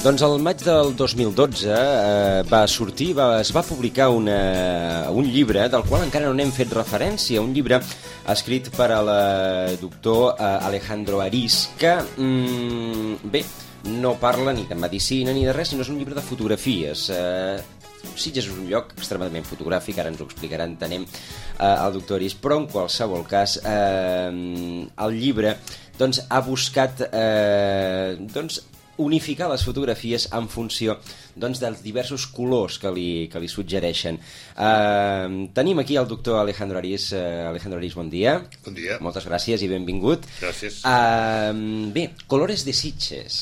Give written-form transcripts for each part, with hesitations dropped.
Doncs al maig del 2012 es va publicar un llibre del qual encara no n'hem fet referència, un llibre escrit per al doctor Alejandro Ariz, que, bé, no parla ni de medicina ni de res, sinó és un llibre de fotografies. Sitges és un lloc extremadament fotogràfic, ara ens ho explicarà, entenem, el doctor Ariz, però en qualsevol cas el llibre doncs, ha buscat unificar les fotografies en funció doncs, dels diversos colors que li suggereixen. Tenim aquí el doctor Alejandro Ariz. Alejandro Ariz, bon dia. Bon dia. Moltes gràcies i benvingut. Gràcies. Bé, Colores de Sitges.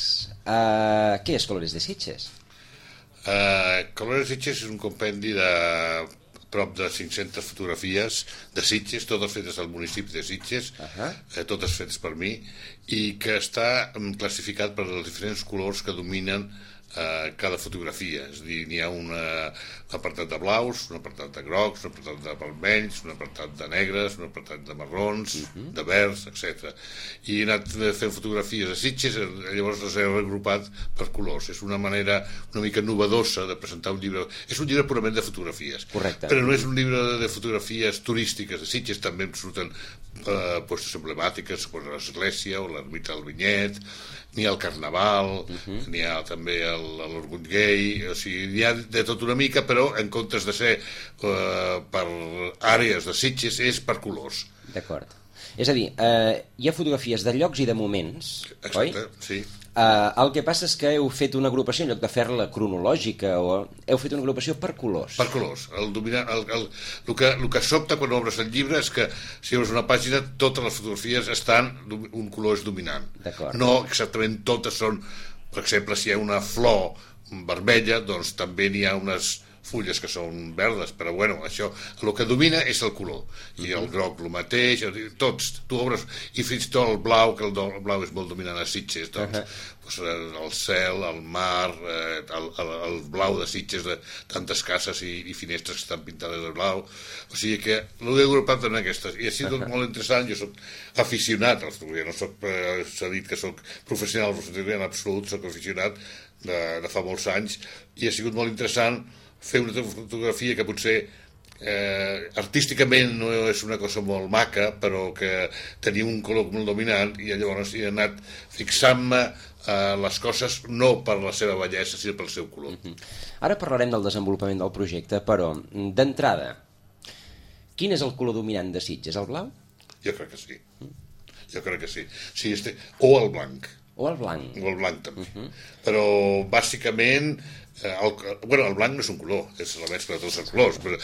Què és Colores de Sitges? Colores de Sitges és un compendi de prop de 500 fotografies de Sitges, totes fetes al municipi de Sitges, totes fetes per mi, i que està classificat per els diferents colors que dominen cada fotografia. És a dir, n'hi ha un apartat de blaus, un apartat de grocs, un apartat de vermells, un apartat de negres, un apartat de marrons, de verds, etc. I he anat fent fotografies de Sitges, llavors les he regrupat per colors. És una manera una mica novedosa de presentar un llibre. És un llibre purament de fotografies. Correcte. Però no és un llibre de fotografies turístiques de Sitges, també em surten postes emblemàtiques com l'església o l'ermita del Vinyet, n'hi ha el Carnaval, n'hi ha també l'Orgull Gai, o sigui, n'hi ha de tot una mica, però en comptes de ser per àrees de Sitges és per colors. D'acord. És a dir, hi ha fotografies de llocs i de moments, oi? Exacte, sí. El que passa és que heu fet una agrupació, en lloc de fer-la cronològica, o heu fet una agrupació per colors. Per colors. El que sobta quan obres el llibre és que si obres una pàgina, totes les fotografies estan, un color és dominant. D'acord. No exactament totes són, per exemple, si hi ha una flor vermella, doncs també n'hi ha unes fulles que són verdes, però bueno, això, el que domina és el color, i el groc el mateix, tots, tu obres, i fins i tot el blau, que el blau és molt dominant a Sitges, doncs, el cel, el mar, el blau de Sitges, de tantes cases i finestres que estan pintades de blau, o sigui que l'he agrupat en aquestes, i ha sigut molt interessant. Jo soc aficionat a la fotografia, no soc, s'ha dit que soc professional, en absolut, soc aficionat de fa molts anys, i ha sigut molt interessant fer una fotografia que potser artísticament no és una cosa molt maca, però que tenia un color molt dominant, i llavors he anat fixant-me les coses no per la seva bellesa, sinó pel seu color. Ara parlarem del desenvolupament del projecte, però d'entrada, quin és el color dominant de Sitges? El blau? Jo crec que sí. Jo crec que sí. Sí, o el blanc. O el blanc? O el blanc també. Però bàsicament el blanc no és un color, és la mescla de tots els colors, però,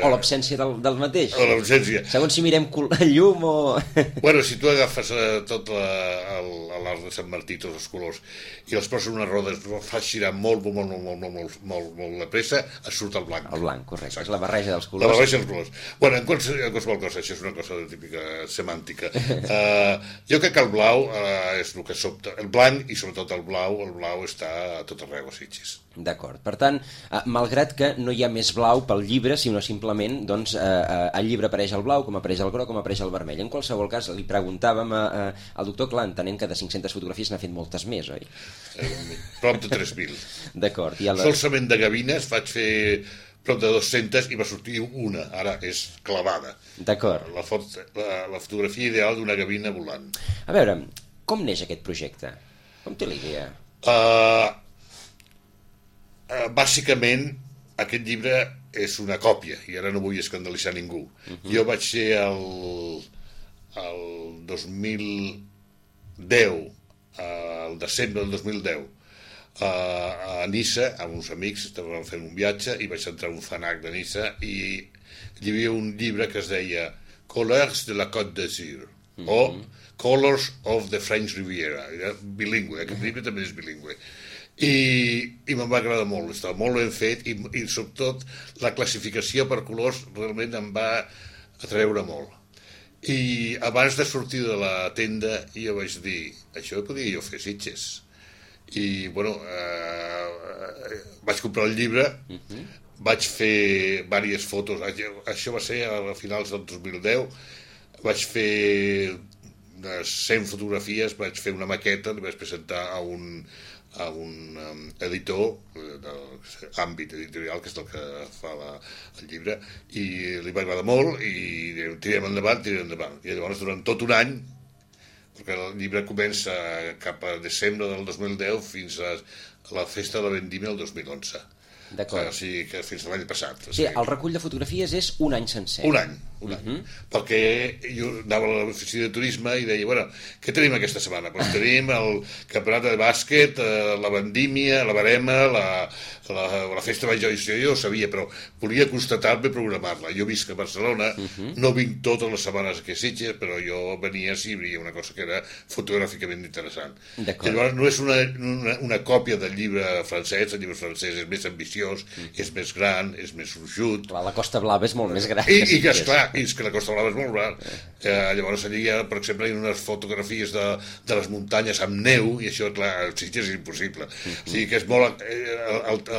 o l'absència del mateix, o l'absència, segons si mirem llum o... Bueno, si tu agafes tot l'art de Sant Martí, tots els colors, i els poses en una roda, fas girar molt de pressa, et surt el blanc. El blanc, correcte. Exacte. És la barreja dels colors. La barreja dels colors. Bueno, en qualsevol cosa, això és una cosa típica semàntica. Jo crec que el blau és el que sobta. El blanc, i sobretot el blau està a tot arreu a Sitges. D'acord. Per tant, malgrat que no hi ha més blau pel llibre, sinó simplement, doncs, al llibre apareix el blau, com apareix el groc, com apareix el vermell. En qualsevol cas, li preguntàvem al doctor, clar, entenent que de 500 fotografies n'ha fet moltes més, oi? Prop de 3.000. D'acord. Solament de gavines vaig fer prop de 200 i va sortir una, ara és clavada. D'acord. La fotografia ideal d'una gavina volant. A veure, com neix aquest projecte? Com té la idea? Bàsicament, aquest llibre és una còpia, i ara no vull escandalitzar ningú. Jo vaig ser el 2010, el desembre del 2010, a Niça, amb uns amics, estàvem fent un viatge, i vaig entrar a un FNAC de Niça, i hi havia un llibre que es deia Colors de la Côte d'Azur, o Colors of the French Riviera. Era bilingüe, aquest llibre també és bilingüe. I me'n va agradar molt, estava molt ben fet, i sobretot la classificació per colors realment em va atreure molt. I abans de sortir de la tenda jo vaig dir, això podria jo fer Sitges. I bueno, vaig comprar el llibre, vaig fer diverses fotos, això va ser a finals del 2010, vaig fer de 100 fotografies vaig fer una maqueta, li vaig presentar a un editor d'àmbit editorial, que és el que fa el llibre, i li va agradar molt i tirem endavant. I llavors durant tot un any, perquè el llibre comença cap a desembre del 2010 fins a la festa de la vendimia del 2011. D'acord. O sigui que fins a l'any passat. Sí, el recull de fotografies és un any sencer. Un any. Perquè jo anava a l'oficina de turisme i deia, bueno, què tenim aquesta setmana? Doncs tenim el campionat de bàsquet, la vendímia, la barema, la festa major. Jo ho sabia, però volia constatar-me i programar-la. Jo visc a Barcelona, no vinc totes les setmanes aquí a Sitges, però jo venia si hi havia una cosa que era fotogràficament interessant. Llavors no és una còpia del llibre francès. El llibre francès és més ambiciós, és més gran, és més gruixut. La Costa Blava és molt més gran. I que esclar, és que la Costa Blava és molt gran. Llavors allà hi ha, per exemple, unes fotografies de les muntanyes amb neu, i això, clar, a Sitges és impossible. O sigui que és molt...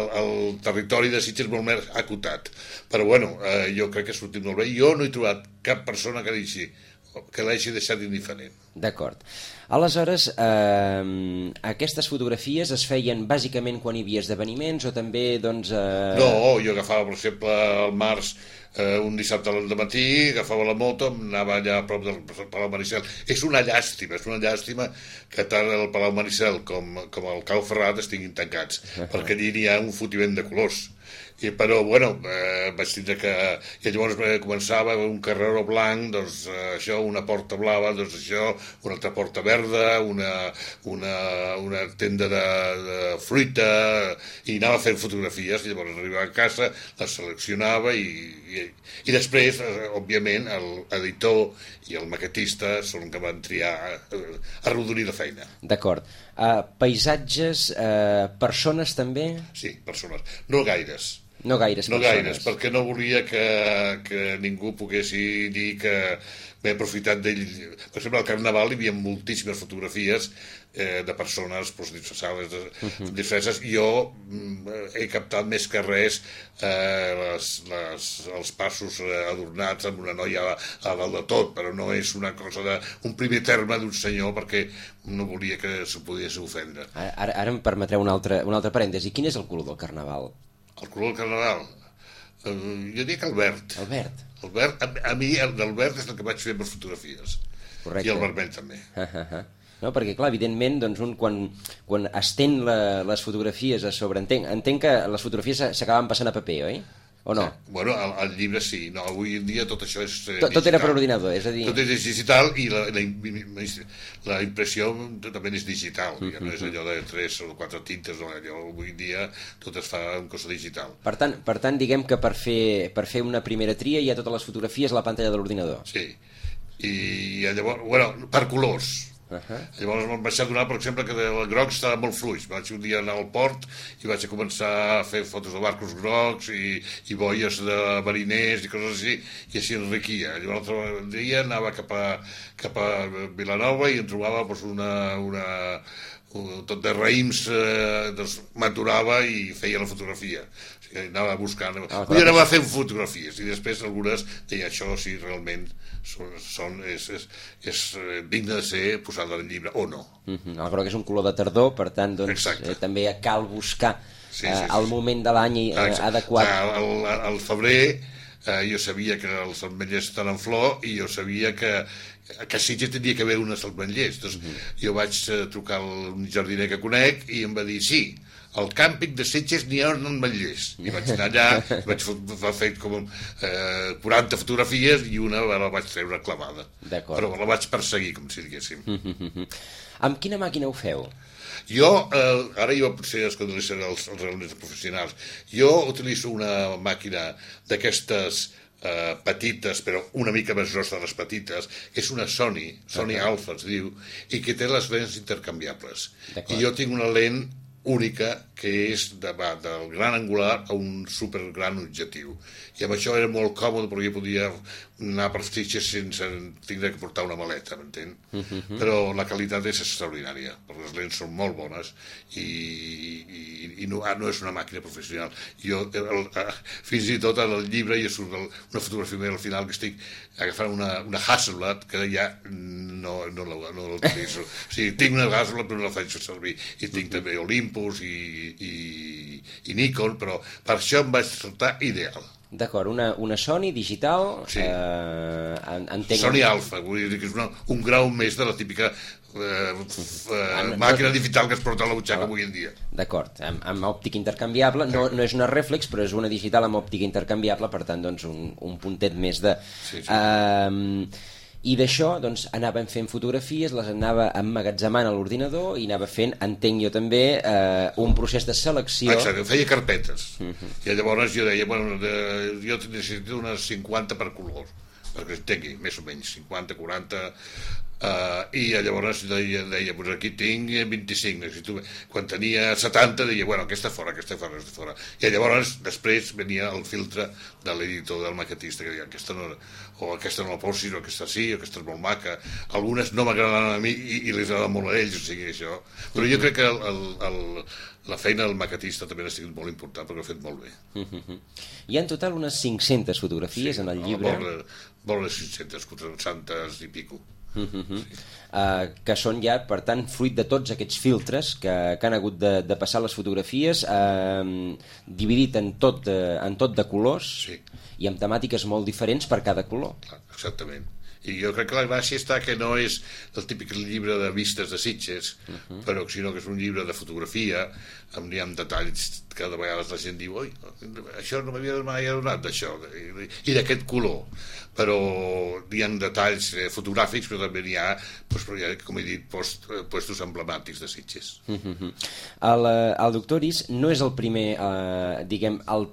El territori de Sitges és molt més acotat. Però bueno, jo crec que ha sortit molt bé. Jo no he trobat cap persona que l'hagi deixat indiferent. D'acord. Aleshores, aquestes fotografies es feien bàsicament quan hi havia esdeveniments o també, doncs... No, jo agafava, per exemple, al març, un dissabte al matí, agafava la moto, anava allà a prop del Palau Maricel. És una llàstima que tant el Palau Maricel com el Cau Ferrat estiguin tancats, perquè allí hi ha un fotiment de colors. Però, bueno, vaig tindre que... I llavors començava un carreró blanc, doncs això, una porta blava, doncs això, una altra porta verda, una tenda de fruita, i anava fent fotografies, i llavors arribava a casa, les seleccionava, i després, òbviament, l'editor i el maquetista són que van triar arrodonir la feina. D'acord. Paisatges, persones també? Sí, persones. No gaires. No gaires persones. No gaires, perquè no volia que ningú pogués dir que m'he aprofitat d'ell. Per exemple, al Carnaval hi havia moltíssimes fotografies de persones disfressades, disfresses. Jo he captat més que res els passos adornats amb una noia a dalt de tot, però no és una cosa un primer terme d'un senyor, perquè no volia que s'ho pogués ofendre. Ara em permetreu un altre parèntesi. Quin és el color del Carnaval? El color del Carnaval? Jo dic el verd. El verd? El verd, a mi el del verd és el que vaig fer per fotografies. Correcte. I el vermell també. No, perquè, clar, evidentment, doncs, quan estén les fotografies a sobre... Entenc que les fotografies s'acaben passant a paper, oi? O no? Bueno, el llibre sí. No, avui en dia tot això és digital. Tot era per ordinador, és a dir... Tot és digital i la impressió també és digital. Ja no és allò de 3 o 4 tintes, no, allò avui en dia tot es fa en cosa digital. Per tant, diguem que per fer una primera tria hi ha totes les fotografies a la pantalla de l'ordinador. Sí. I llavors, bueno, per colors. Llavors em vaig adonar, per exemple, que el groc estava molt fluix. Vaig un dia anar al port i vaig començar a fer fotos de barcos grocs i boies de mariners i coses així, i així enriquia. Llavors l'altre dia anava cap a Vilanova i em trobava doncs, tot de raïms, doncs m'aturava i feia la fotografia. O sigui, anava buscant, anava fent fotografies, i després algunes deia, això sí, realment és digne de ser posada en llibre, o no. El groc és un color de tardor, per tant, doncs, també cal buscar el moment de l'any adequat. Al febrer jo sabia que els ametllers estan en flor i jo sabia que a Sitges tenia que haver unes ametllers. Jo vaig trucar a un jardiner que conec i em va dir, sí, al càmping de Sitges n'hi ha ametllers. I vaig anar allà, vaig fer com 40 fotografies i una la vaig treure clavada. Però la vaig perseguir, com si diguéssim. Amb quina màquina ho feu? Jo, ara jo potser es coneixen els reunions professionals, jo utilitzo una màquina d'aquestes petites, però una mica més grossa de les petites, que és una Sony Alpha es diu, i que té les lents intercanviables. I jo tinc una lent única, que és del gran angular a un supergran objectiu. I amb això era molt còmode perquè jo podia anar per Sitges sense tindre que portar una maleta, m'entén? Però la qualitat és extraordinària, perquè les lents són molt bones i no és una màquina professional. Jo, fins i tot al llibre hi surt una fotografia meva al final que estic agafant una Hasselblad que ja no l'utilitzo. O sigui, tinc una Hasselblad però no la faig servir. I tinc també Olympus i Nikon, però per això em va resultar ideal. D'acord, una Sony digital... Sí. Sony Alpha, vull dir que és un grau més de la típica màquina digital que es porta a la butxaca avui en dia. D'acord, amb òptica intercanviable, no és una reflex, però és una digital amb òptica intercanviable, per tant, doncs, un puntet més de... Sí. I d'això doncs, anàvem fent fotografies, les anava emmagatzemant a l'ordinador i anava fent, entenc jo també, un procés de selecció. Exacte, feia carpetes. I llavors jo deia, bueno, jo necessito unes 50 per color, perquè entengui, més o menys, 50, 40... i llavors deia pues aquí tinc 25, necessito... Quan tenia 70 deia, bueno, aquesta fora. I llavors després venia el filtre de l'editor, del maquetista, que deia, aquesta no la posis, o aquesta sí, o aquesta és molt maca. Algunes no m'agradaran a mi i les agraden molt a ells, o sigui, això. Però jo crec que la feina del maquetista també ha sigut molt important, perquè ho ha fet molt bé. Hi ha en total unes 500 fotografies en el llibre. Vora les 500, 400 i pico. Que són ja, per tant, fruit de tots aquests filtres que han hagut de passar les fotografies, dividit en tot de colors, sí, i amb temàtiques molt diferents per cada color. Exactament. I jo crec que la gràcia està que no és el típic llibre de vistes de Sitges, però sinó que és un llibre de fotografia amb detalls que de vegades la gent diu, oi, això no m'havia mai adonat d'això, i d'aquest color. Però hi ha detalls fotogràfics, però també hi ha, com he dit, puestos emblemàtics de Sitges. El doctor Is no és el primer, diguem, la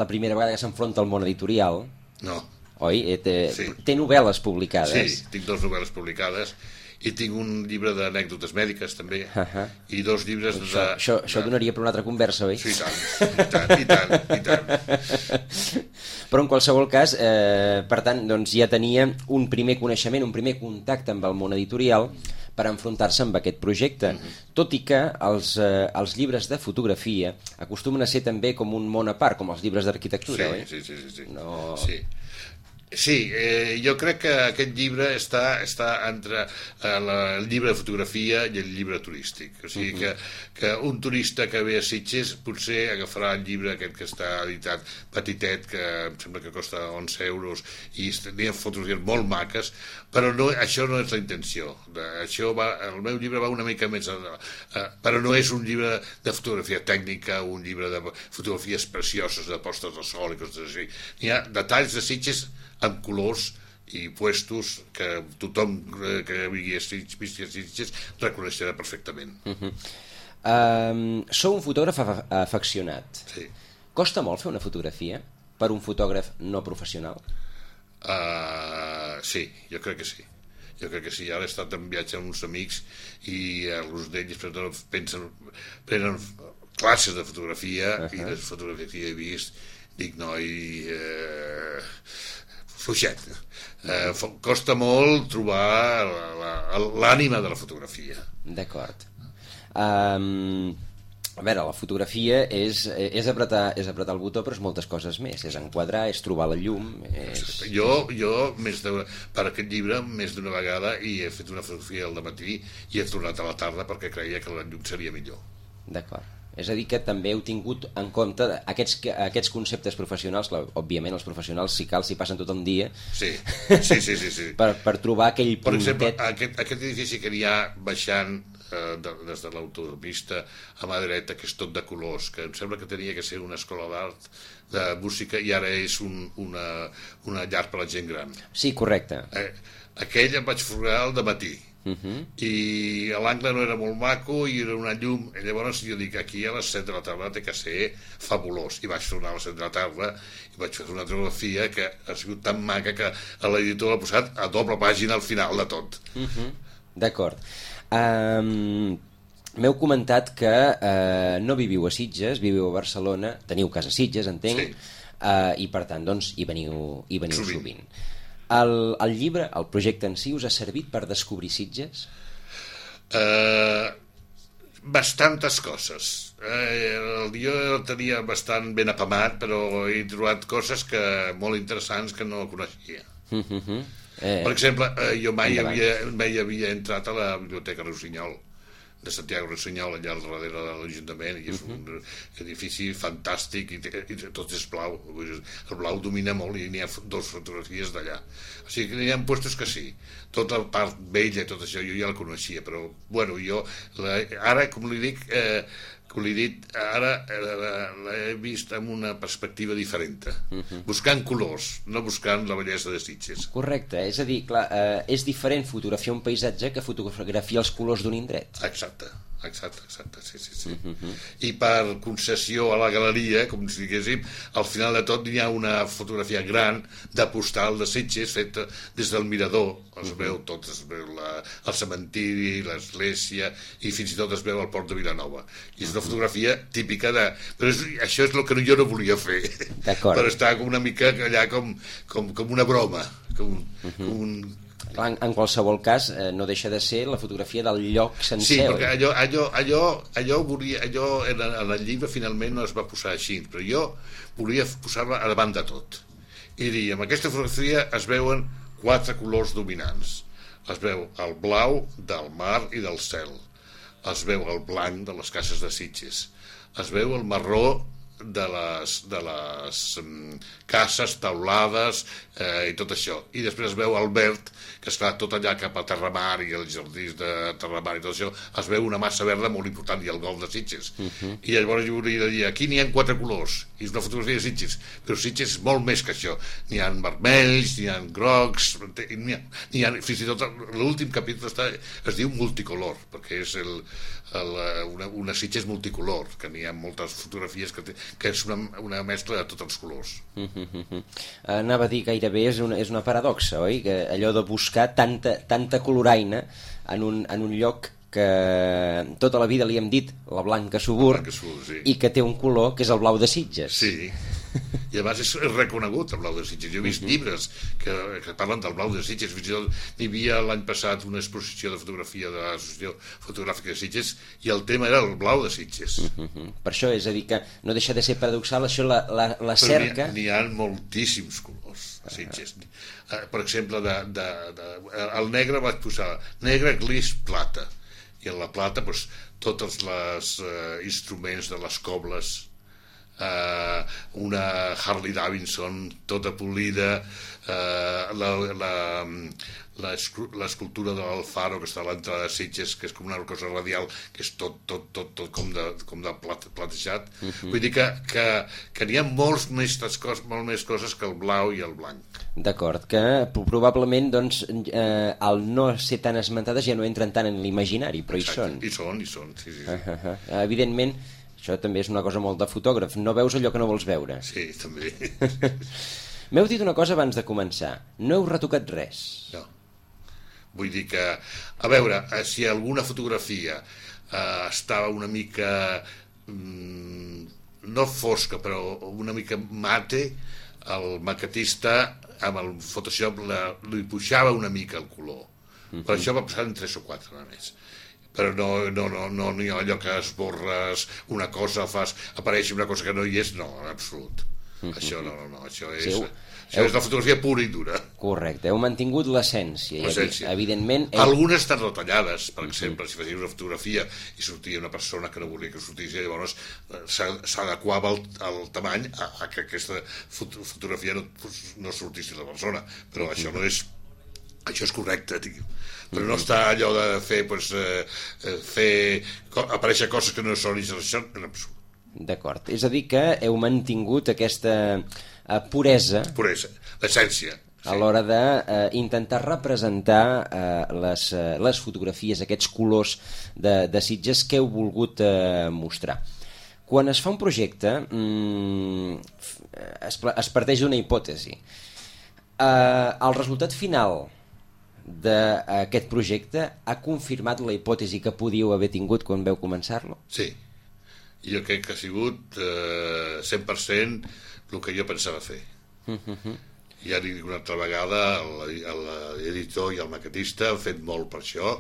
primera vegada que s'enfronta al món editorial. No. Oi? Sí. Té novel·les publicades. Sí, tinc 2 novel·les publicades i tinc un llibre d'anècdotes mèdiques també, i 2 llibres Això donaria per una altra conversa, oi? Sí, i tant. Però en qualsevol cas, per tant, doncs ja tenia un primer coneixement, un primer contacte amb el món editorial per enfrontar-se amb aquest projecte, tot i que els llibres de fotografia acostumen a ser també com un món a part, com els llibres d'arquitectura, oi? Sí. No... Sí, jo crec que aquest llibre està entre el llibre de fotografia i el llibre turístic. O sigui que un turista que ve a Sitges potser agafarà el llibre aquest que està editat petitet, que em sembla que costa 11 euros, i hi ha fotografies molt maques, però això no és la intenció. El meu llibre va una mica més... però no és un llibre de fotografia tècnica, un llibre de fotografies precioses, de postes de sol i coses així. Hi ha detalls de Sitges amb colors i puestos que tothom que vingui a Sitges reconeixerà perfectament. Sou un fotògraf afeccionat. Sí. Costa molt fer una fotografia per un fotògraf no professional? Sí, jo crec que sí. Ara he estat en viatge amb uns amics i alguns d'ells prenen classes de fotografia i les fotografies que he vist dic, noi, fluixet. Costa molt trobar l'ànima de la fotografia. D'acord. A veure, la fotografia és apretar el botó, però és moltes coses més. És enquadrar, és trobar la llum... Jo per aquest llibre, més d'una vegada, i he fet una fotografia al matí i he tornat a la tarda perquè creia que la llum seria millor. D'acord. És a dir, que també heu tingut en compte aquests conceptes professionals, clar, òbviament els professionals si cal s'hi passen tot el dia, sí. per trobar aquell puntet. Per exemple, aquest edifici que hi ha baixant des de l'autopista a mà dreta, que és tot de colors, que em sembla que tenia que ser una escola d'art de música i ara és una llar per a la gent gran. Sí, correcte. Aquell em vaig fotografar al dematí. I l'angle no era molt maco i era una llum, i llavors jo dic, aquí a les 7 de la tarda té que ser fabulós, i vaig tornar a les 7 de la tarda i vaig fer una fotografia que ha sigut tan maca que l'editor l'ha posat a doble pàgina al final de tot. D'acord. m'heu comentat que no viviu a Sitges, viviu a Barcelona, teniu casa a Sitges, entenc, i per tant doncs, hi veniu sovint. El llibre, el projecte en si, us ha servit per descobrir Sitges? Bastantes coses. Jo el tenia bastant ben apamat, però he trobat coses molt interessants que no coneixia. Per exemple, jo mai havia entrat a la Biblioteca Rossinyol, de Santiago Rossinyol, allà al darrere de l'Ajuntament, i és un edifici fantàstic i tot és blau. El blau domina molt i n'hi ha 2 fotografies d'allà. O sigui que n'hi ha puestos que sí. Tota la part vella i tot això jo ja la coneixia, però bueno, jo ara, com li dic, ara l'he vist amb una perspectiva diferent, buscant colors, no buscant la bellesa de Sitges. Correcte, és a dir, clar, és diferent fotografiar un paisatge que fotografiar els colors d'un indret. Exacte, sí. I per concessió a la galeria, com si diguéssim, al final de tot hi ha una fotografia gran de postal de Sitges feta des del mirador, es veu tot, es veu el cementiri, l'església, i fins i tot es veu el port de Vilanova, i és una fotografia típica de... però això és el que jo no volia fer, però està una mica allà com una broma, com un... En qualsevol cas, no deixa de ser la fotografia del lloc sencer. Sí, perquè allò volia... en el llibre finalment no es va posar així, però jo volia posar-la a davant de tot. I dir, amb aquesta fotografia es veuen 4 colors dominants. Es veu el blau del mar i del cel. Es veu el blanc de les cases de Sitges. Es veu el marró de les cases, taulades i tot això, i després es veu el verd, que està tot allà cap a Terramar i els jardins de Terramar i tot això, es veu una massa verda molt important i el golf de Sitges, i llavors jo volia dir, aquí n'hi ha 4 colors i és una fotografia de Sitges, però Sitges és molt més que això, n'hi ha vermells, n'hi ha grocs, n'hi ha fins i tot l'últim capítol es diu multicolor, perquè és una Sitges multicolor, que n'hi ha moltes fotografies que és una mescla de tots els colors. Anava a dir, gairebé és una paradoxa, oi? Que allò de buscar tanta coloraina en un lloc que tota la vida li hem dit la blanca subur, sí. I que té un color que és el blau de Sitges. Sí, i a més és reconegut el blau de Sitges. Jo he vist llibres que parlen del blau de Sitges. Fins i tot hi havia l'any passat una exposició de fotografia de l'Associació Fotogràfica de Sitges i el tema era el blau de Sitges. Per això és a dir que no deixa de ser paradoxal, això la cerca... N'hi ha moltíssims colors a Sitges. Per exemple, el negre vaig posar negre, gris, plata, i en la plata tots els instruments de les cobles, una Harley Davidson tota polida, l'escultura de l'Alfaro que està a l'entrada de Sitges, que és com una cosa radial, que és tot com de platejat. Vull dir que n'hi ha molt més coses que el blau i el blanc. D'acord, que probablement doncs, al no ser tan esmentades ja no entren tant en l'imaginari, però exacte, hi són, sí. Evidentment, això també és una cosa molt de fotògraf, no veus allò que no vols veure. Sí, també. M'heu dit una cosa abans de començar, no heu retocat res. No. Vull dir que, a veure, si alguna fotografia estava una mica no fosca, però una mica mate, el maquetista amb el Photoshop li pujava una mica el color. Per això va passar en 3 o 4 només. Però no hi ha allò que esborres una cosa, apareix una cosa que no hi és, no, en absolut. Això no, això és la fotografia pura i dura. Correcte, heu mantingut l'essència. Evidentment... Algunes estan retallades, per exemple, si facis una fotografia i sortia una persona que no volia que sortís, llavors s'adequava el tamany a que aquesta fotografia no sortís la persona, però això no és... Això és correcte, però no està allò de fer aparèixer coses que no són, això en absolut. D'acord, és a dir que heu mantingut aquesta puresa, l'essència, a l'hora d'intentar representar les fotografies, aquests colors de Sitges que heu volgut mostrar. Quan es fa un projecte es parteix d'una hipòtesi. El resultat final d'aquest projecte ha confirmat la hipòtesi que podíeu haver tingut quan vau començar-lo? Sí. Jo crec que ha sigut 100% el que jo pensava fer. I ara dic una altra vegada, l'editor i el maquetista han fet molt per això,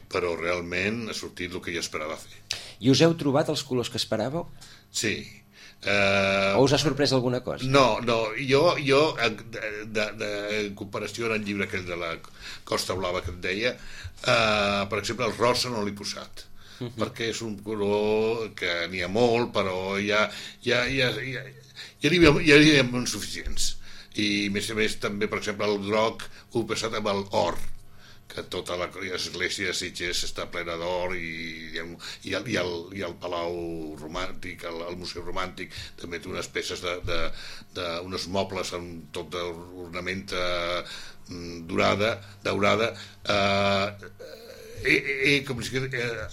però realment ha sortit el que jo esperava fer. I us heu trobat els colors que esperàveu? Sí. O us ha sorprès alguna cosa? No, jo en comparació amb el llibre aquell de la Costa Blava que et deia, per exemple el rosa no l'he posat, perquè és un color que n'hi ha molt, però ja n'hi havia molt suficients. I a més també, per exemple, el groc ho he passat amb l'or, que tota l'església de Sitges està plena d'or, i el Palau Romàntic, el Museu Romàntic, també té unes peces d'uns mobles amb tot d'ornamenta daurada.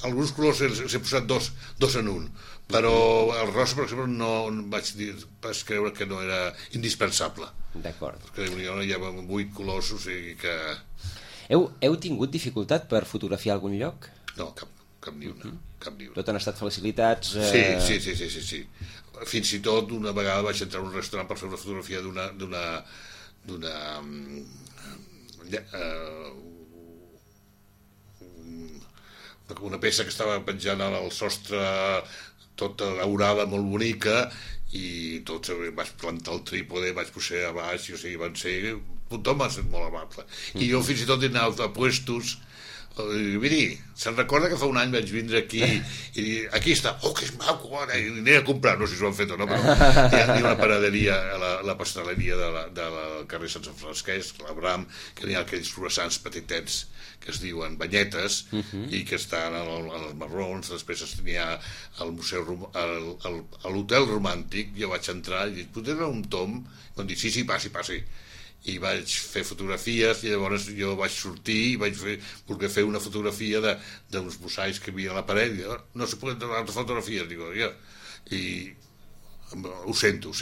Alguns colors s'he posat dos en un, però el rosa, per exemple, no vaig creure que no era indispensable. D'acord. Perquè hi ha 8 colors, o sigui que... Heu tingut dificultat per fotografiar algun lloc? No, cap ni una. Tot han estat facilitats? Sí. Fins i tot una vegada vaig entrar a un restaurant per fer una fotografia una peça que estava penjant al sostre, tota daurada, molt bonica, i tots vaig plantar el trípode, vaig posar a baix, o sigui, van ser... Tothom va ser molt amable. I jo fins i tot he anat a puestos. Miri, se'n recorda que fa un any vaig vindre aquí i dir, aquí està, oh, que és maco, ara, i aniré a comprar, no sé si ho han fet o no, però hi ha una panaderia a la pasteleria del carrer Sant Francesc, l'Abram, que n'hi ha aquells croissants petitets que es diuen banyetes, i que estan als marrons. Després n'hi ha al museu, a l'hotel romàntic. Jo vaig entrar i dic, potser era un tom? I van dir, sí, passi. I vaig fer fotografies, i llavors jo vaig sortir i vaig voler fer una fotografia d'uns mosaics que hi havia a la paret, i no se poden donar altres fotografies, dic, i ho sento.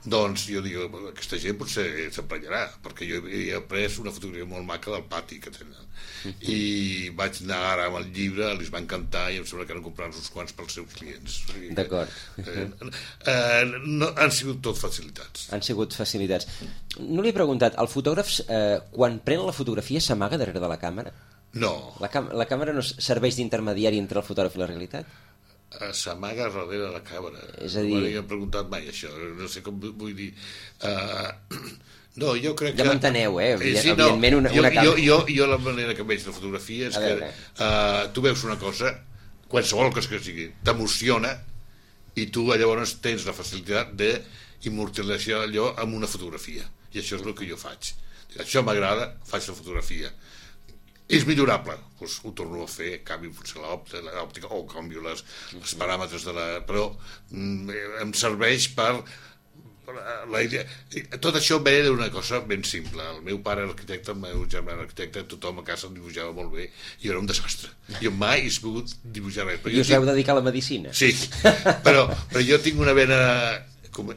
Doncs jo dic, aquesta gent potser s'emprenyarà, perquè jo he pres una fotografia molt maca del pati que tenen, i vaig anar ara amb el llibre, els va encantar, i em sembla que han comprat uns quants pels seus clients. D'acord. Han sigut tot facilitats. No li he preguntat, el fotògraf, quan pren la fotografia, s'amaga darrere de la càmera? No. La càmera no serveix d'intermediari entre el fotògraf i la realitat? S'amaga darrere la càmera. És a dir... No m'he preguntat mai això, no sé com vull dir. No, jo crec que... Ja m'enteneu, sí, evidentment una càmera... Jo la manera que veig la fotografia és que tu veus una cosa, qualsevol cosa que sigui, t'emociona, i tu llavors tens la facilitat d'immortalitzar allò amb una fotografia. I això és el que jo faig. Això m'agrada, faig la fotografia. És millorable, doncs ho torno a fer, canvio potser l'òptica o canvio els paràmetres però em serveix per la idea. Tot això ve d'una cosa ben simple. El meu pare era arquitecte, el meu germà era arquitecte, tothom a casa dibuixava molt bé, i era un desastre. Jo mai he pogut dibuixar res. I us heu dedicat a la medicina? Sí, però jo tinc una vena,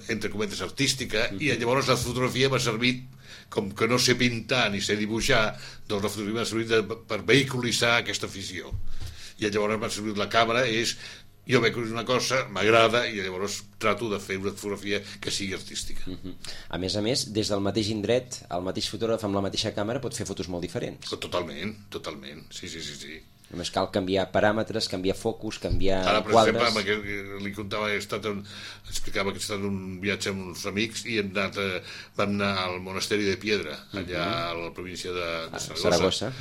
entre cometes, artística, i llavors la fotografia m'ha servit, com que no sé pintar ni sé dibuixar, doncs la fotografia m'ha servit per vehiculitzar aquesta afició. I llavors m'ha servit la càmera, jo veig una cosa, m'agrada, i llavors trato de fer una fotografia que sigui artística. A més, des del mateix indret, el mateix fotògraf amb la mateixa càmera pot fer fotos molt diferents. Totalment, sí. Només cal canviar paràmetres, canviar focus, canviar quadres... Ara, per exemple, li contava, explicava que he estat en un viatge amb uns amics i vam anar al monasteri de Piedra, allà a la província de Saragossa,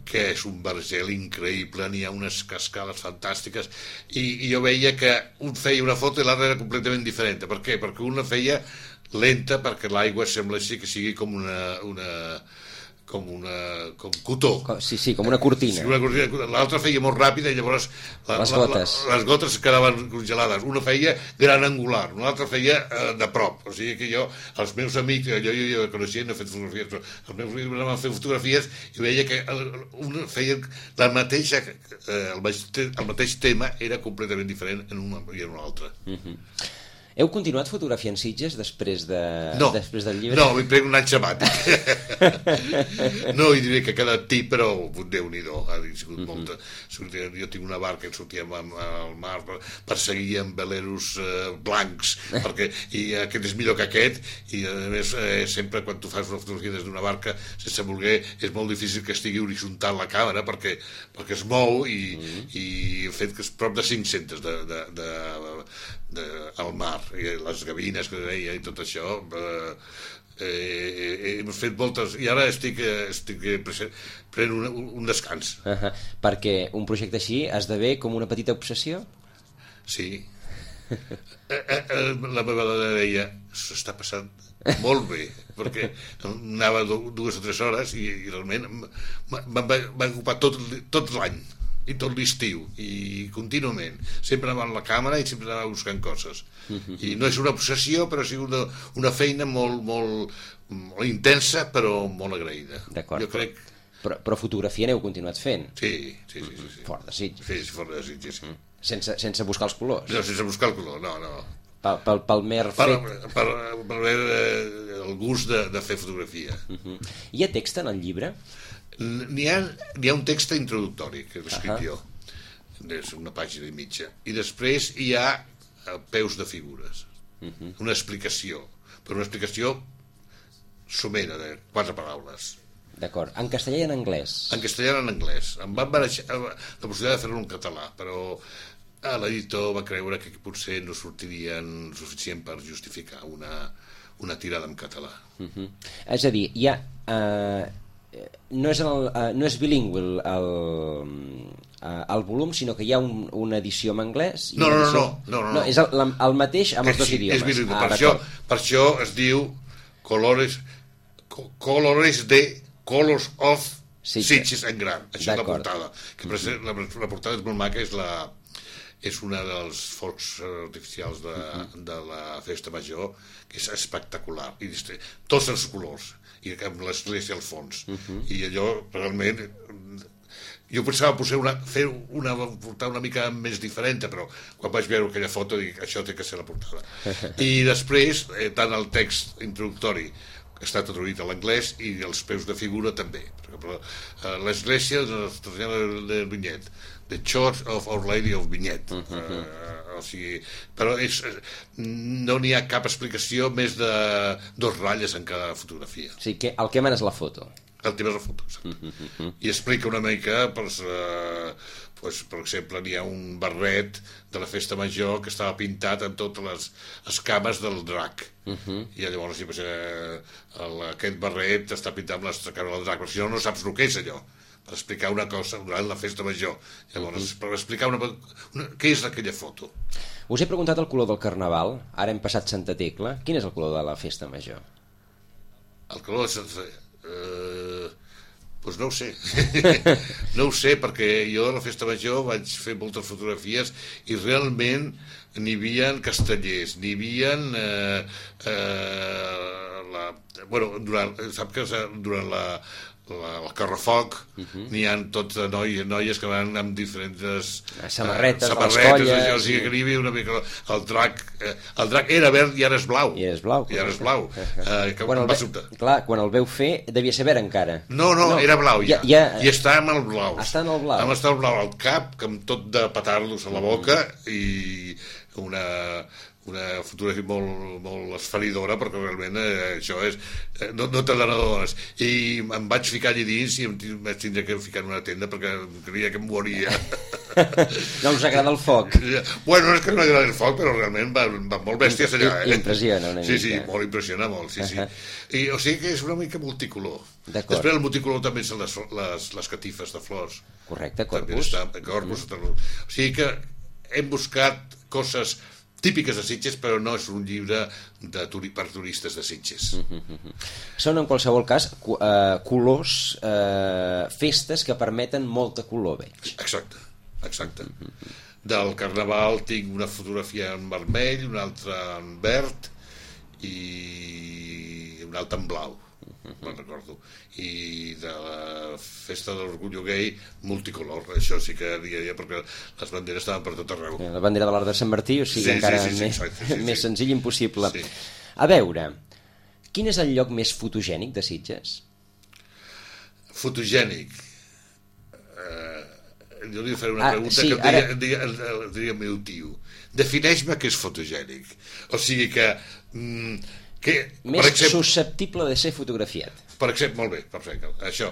que és un vergel increïble, n'hi ha unes cascades fantàstiques, i jo veia que un feia una foto i l'altre era completament diferent. Per què? Perquè una feia lenta, perquè l'aigua sembla així que sigui com cotó. Sí, com una cortina. L'altra feia molt ràpida i llavors les gotes quedaven congelades. Una feia gran angular, l'altra feia de prop. O sigui que els meus amics, jo coneixia, no he fet fotografies, però els meus amics van fer fotografies i veia que una feia la mateixa, el mateix tema era completament diferent en una i en una altra. Heu continuat fotografiant Sitges després del llibre? No, m'hi prenc un any sabàtic. No, i diré que cada tip, però Déu-n'hi-do, ha sigut molta. Jo tinc una barca que sortíem al mar, perseguíem veleros blancs, i aquest és millor que aquest, i a més sempre quan tu fas una fotografia des d'una barca, sense voler, és molt difícil que estigui horitzontal la càmera, perquè es mou, i he fet que és prop de 500 al mar, i les gavines que deia i tot això, hem fet moltes, i ara estic prenent un descans. Perquè un projecte així esdevé com una petita obsessió? Sí. La meva dona deia, s'està passant molt bé, perquè anava 2 o 3 hores i realment va ocupar tot l'any i tot l'estiu, i contínuament sempre anava amb la càmera i sempre anava buscant coses, i no és una obsessió, però ha sigut una feina molt intensa, però molt agraïda. D'acord, jo crec... però fotografia n'heu continuat fent? Sí. Fora de Sitges? Sí, fora de Sitges, sí. Sense buscar els colors? No, sense buscar el color, no. Pel mer fet? Per el gust de fer fotografia. Hi ha text en el llibre? N'hi ha un text introductori que he escrit jo, és una pàgina i mitja, i després hi ha peus de figures, una explicació, però una explicació somera de 4 paraules. D'acord, en castellà i en anglès? En castellà i en anglès. Em van barrejar la possibilitat de fer-lo en català, però l'editor va creure que potser no sortirien suficient per justificar una tirada en català. És a dir, hi ha... no és bilingüe el volum, sinó que hi ha una edició en anglès. No. És el mateix amb els dos idiomes. És bilingüe, per això es diu Colors of Sitges en gran. Això és la portada. La portada és molt maca, és una dels focs artificials de la festa major, que és espectacular, i tots els colors, i amb l'església al fons, i allò realment jo pensava portar una mica més diferent, però quan vaig veure aquella foto dic, això té que ser la portada. I després tant el text introductori està traduït a l'anglès i els peus de figura també. Per exemple, l'església de Vinyet, The Church of Our Lady of Vinyet, o sigui, però no n'hi ha cap explicació més de 2 ratlles en cada fotografia. O sigui, el que mana és la foto. El tema és la foto, exacte. I explica una mica, per exemple, n'hi ha un barret de la festa major que estava pintat amb totes les escames del drac, i llavors aquest barret està pintat amb les escames del drac, però si no saps el que és allò, per explicar una cosa durant la festa major. Llavors, per explicar què és aquella foto. Us he preguntat el color del Carnaval, ara hem passat Santa Tecla. Quin és el color de la festa major? El color de Santa Tecla... Doncs no ho sé. No ho sé, perquè jo a la festa major vaig fer moltes fotografies i realment n'hi havia castellers, n'hi havia sap que durant el Carrefoc n'hi ha tots noies que van amb diferents samarretes, colles, o sigui que n'hi havia una mica el drac era verd i ara és blau, quan el veu fer devia ser verd encara. No, era blau ja. I està amb el blau, està en el blau, està el blau al cap, amb tot de petardos a la boca, i una fotografia molt esferidora, perquè realment això és no te n'adones, i em vaig ficar allà dins i em vaig tindre que ficar en una tenda perquè creia que em moria. No us agrada el foc? Bueno, no és que no agrada el foc, però realment van molt bèsties allà. Impressiona una mica. Sí, molt impressiona molt, sí. I, o sigui que és una mica multicolor. Després el multicolor també són les catifes de flors. Correcte, corpus. O sigui que hem buscat coses típiques de Sitges, però no és un llibre per turistes de Sitges. Són, en qualsevol cas, colors, festes que permeten molta color, veig. Exacte. Del Carnaval tinc una fotografia en vermell, una altra en verd i una altra en blau. me'n recordo. I de la festa de l'orgullo gay, multicolor. Això sí que dia, perquè les banderes estaven per tot arreu. La bandera de l'Arc de Sant Martí, o sigui, encara més senzill impossible. Sí. A veure, quin és el lloc més fotogènic de Sitges? Fotogènic. Jo li faré una pregunta que ara... diria el meu tio. Defineix-me què és fotogènic. O sigui que més exemple, susceptible de ser fotografiat. Per exemple, molt bé, perfecte. Això,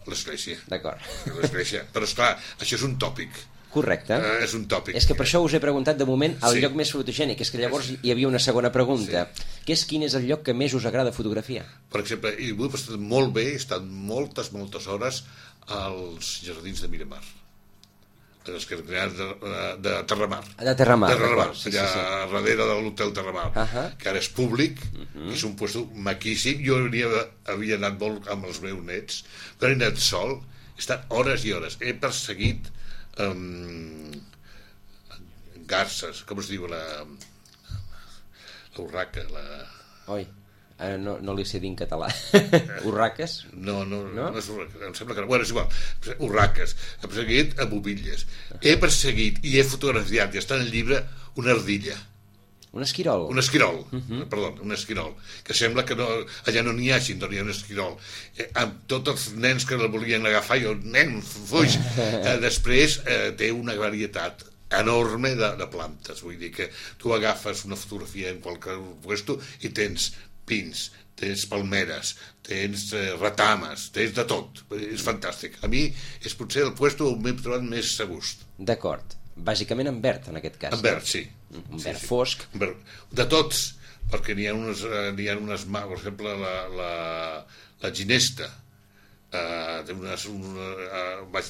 l'església. D'acord. L'església. Però, esclar, això és un tòpic. Correcte. És un tòpic. És que per això us he preguntat de moment el lloc més fotogènic. És que llavors hi havia una segona pregunta, que és quin és el lloc que més us agrada fotografiar? Per exemple, i vull estar molt bé, he estat moltes hores als jardins de Miramar. Els que de Terramar. De Terramar, allà darrere de l'hotel Terramar, que ara és públic, és un lloc maquíssim. Jo havia anat molt amb els meus nets, però he anat sol, he estat hores i hores. He perseguit garces, com es diu la urraca, Oi, no li sé dir en català. Urraques? No és urraca, em sembla que no. Bueno, és igual, urraques. He perseguit a bobilles. He perseguit i he fotografiat, i està en el llibre, una ardilla. Un esquirol? Un esquirol, perdó, un esquirol, que sembla que allà no n'hi hagi, no n'hi ha un esquirol. Amb tots els nens que el volien agafar, jo, nen, fuig. Després té una varietat enorme de plantes, vull dir que tu agafes una fotografia en qualsevol lloc i tens pins, tens palmeres, tens retames, tens de tot, és fantàstic. A mi és potser el lloc on m'he trobat més a gust. D'acord. Bàsicament en verd, en aquest cas. En verd, sí. Un verd fosc. De tots, perquè n'hi ha unes, per exemple, la ginesta. Vaig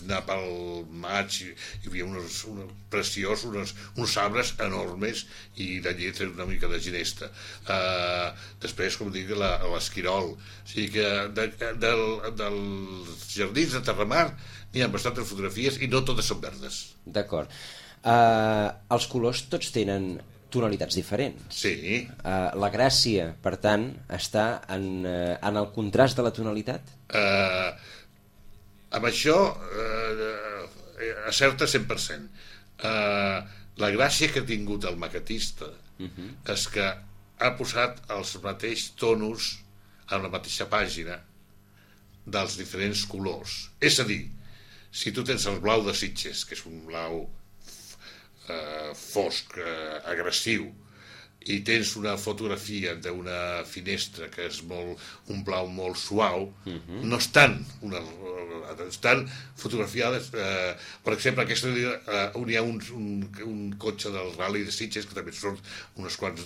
anar pel maig i hi havia uns preciosos, uns arbres enormes i d'allí tens una mica de ginesta. Després, com dic, l'esquirol. O sigui que dels jardins de Terramar n'hi ha bastantes fotografies i no totes són verdes. D'acord. Els colors tots tenen tonalitats diferents. Sí. La gràcia, per tant, està en el contrast de la tonalitat? Amb això acerta 100%. La gràcia que ha tingut el maquetista és que ha posat els mateixos tonos en la mateixa pàgina dels diferents colors. És a dir, si tu tens el blau de Sitges, que és un blau fosc, agressiu, i tens una fotografia d'una finestra que és un blau molt suau, no estan fotografiades. Per exemple, aquesta on hi ha un cotxe del Rally de Sitges, que també són unes quantes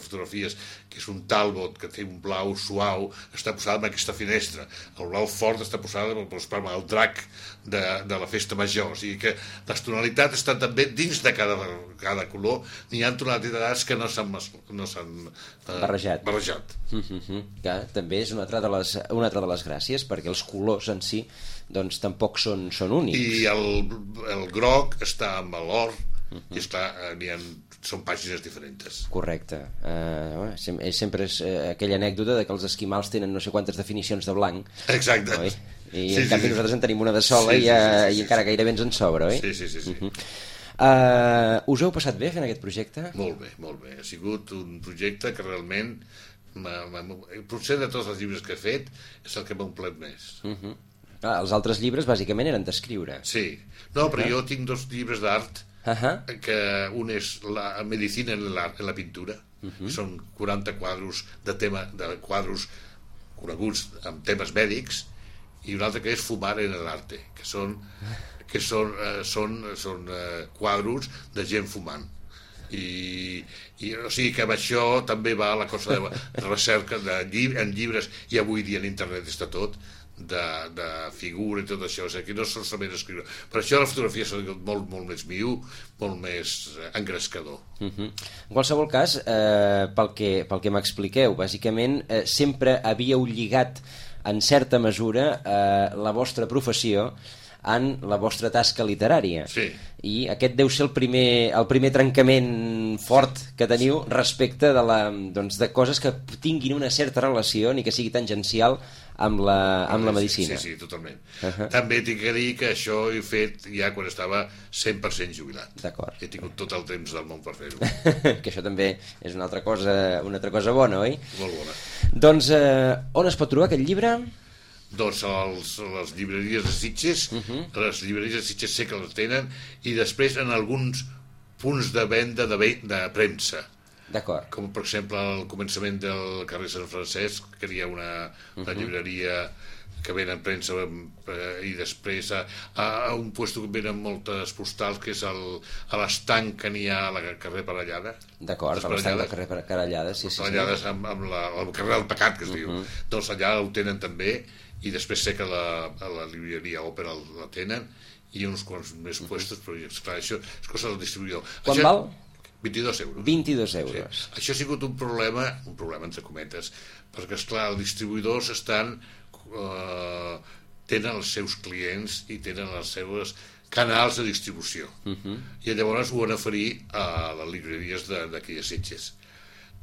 fotografies, que és un Talbot que té un blau suau, està posada en aquesta finestra. El blau fort està posada amb el drac de la festa major. O sigui que les tonalitats estan també dins de cada color. N'hi ha tonalitats que no s'han barrejat. Que també és una altra de les gràcies, perquè els colors en si doncs tampoc són únics. I el groc està amb l'or, i són pàgines diferents. Correcte. Sempre és aquella anècdota de que els esquimals tenen no sé quantes definicions de blanc. Exacte. Oi? I en canvi nosaltres en tenim una de sola i encara gairebé ens en sobra, oi? Sí. Us heu passat bé fent aquest projecte? Molt bé. Ha sigut un projecte que realment potser de tots els llibres que he fet és el que m'ha omplert més. Els altres llibres bàsicament eren d'escriure. Sí. No, però jo tinc 2 llibres d'art, que un és la medicina en la pintura, són 40 quadros de quadros coneguts amb temes mèdics, i un altre que és fumar en l'arte, que són quadros de gent fumant. O sigui que amb això també va la cosa de recerca en llibres, i avui dia en internet està tot, de figura i tot això. O sigui que no solament escriure. Per això la fotografia s'ha dit molt més viu, molt més engrescador. En qualsevol cas, pel que m'expliqueu, bàsicament sempre havíeu lligat en certa mesura la vostra professió en la vostra tasca literària. Sí. I aquest deu ser el primer trencament fort que teniu respecte de coses que tinguin una certa relació ni que sigui tangencial amb la medicina. Sí, totalment. També tinc que dir que això ho he fet ja quan estava 100% jubilat. D'acord. He tingut tot el temps del món per fer-ho. Que això també és una altra cosa bona, oi? Molt bona. Doncs on es pot trobar aquest llibre? Doncs les llibreries de Sitges, les llibreries de Sitges sé que les tenen, i després en alguns punts de venda de premsa. D'acord. Com per exemple al començament del carrer Sant Francesc, que hi ha una llibreria que venen premsa, i després a un lloc que venen moltes postals, que és a l'estanc que n'hi ha al carrer Parellada. D'acord, a l'estanc del carrer Parellada, sí. Parellades amb el carrer del Pecat, que es diu. Doncs allà ho tenen també, i després sé que a la llibreria Òpera la tenen, i uns quants més puestos, però esclar, això és cosa del distribuïdor. Quan val? 22 euros. 22 euros. Sí. Això ha sigut un problema entre cometes, perquè, esclar, els distribuïdors tenen els seus clients i tenen els seus canals de distribució. I llavors ho van oferir a les llibreries d'aquí a Sitges,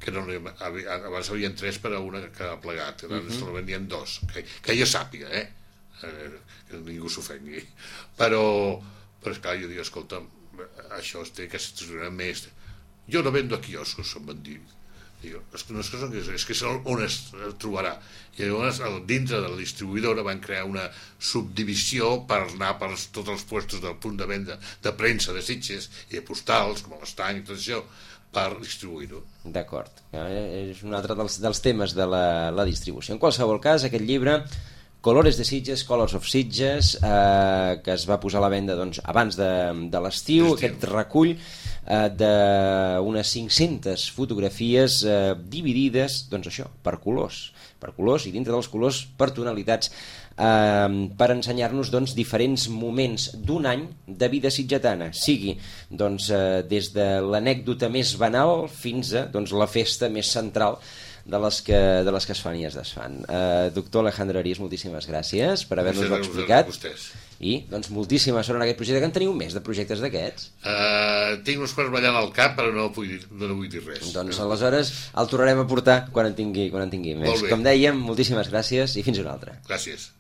que abans havien 3 per a una que ha plegat, abans se la venien 2, que jo sàpiga, que ningú s'ofengui. Però esclar, jo dic, escolta, això es té que estructurar més. Jo no vendo a quioscos, em van dir. És que és on es trobarà. I llavors dintre de la distribuïdora van crear una subdivisió per anar per tots els puestos del punt de venda de premsa de Sitges i de postals, com l'estany i tot això, per distribuir-ho. D'acord. És un altre dels temes de la distribució. En qualsevol cas, aquest llibre, Colores de Sitges, Colors of Sitges, que es va posar a la venda abans de l'estiu, aquest recull d'unes 500 fotografies dividides, per colors, i dintre dels colors per tonalitats, per ensenyar-nos diferents moments d'un any de vida sitgetana, sigui des de l'anècdota més banal fins a la festa més central de les que es fan i es desfan. Doctor Alejandro Arias, moltíssimes gràcies per haver-nos-ho explicat. I moltíssima sort en aquest projecte. Que en teniu més de projectes d'aquests? Tinc uns quants ballant al cap, però no vull dir res. Doncs aleshores el tornarem a portar quan en tingui més. Com dèiem, moltíssimes gràcies i fins una altra. Gràcies.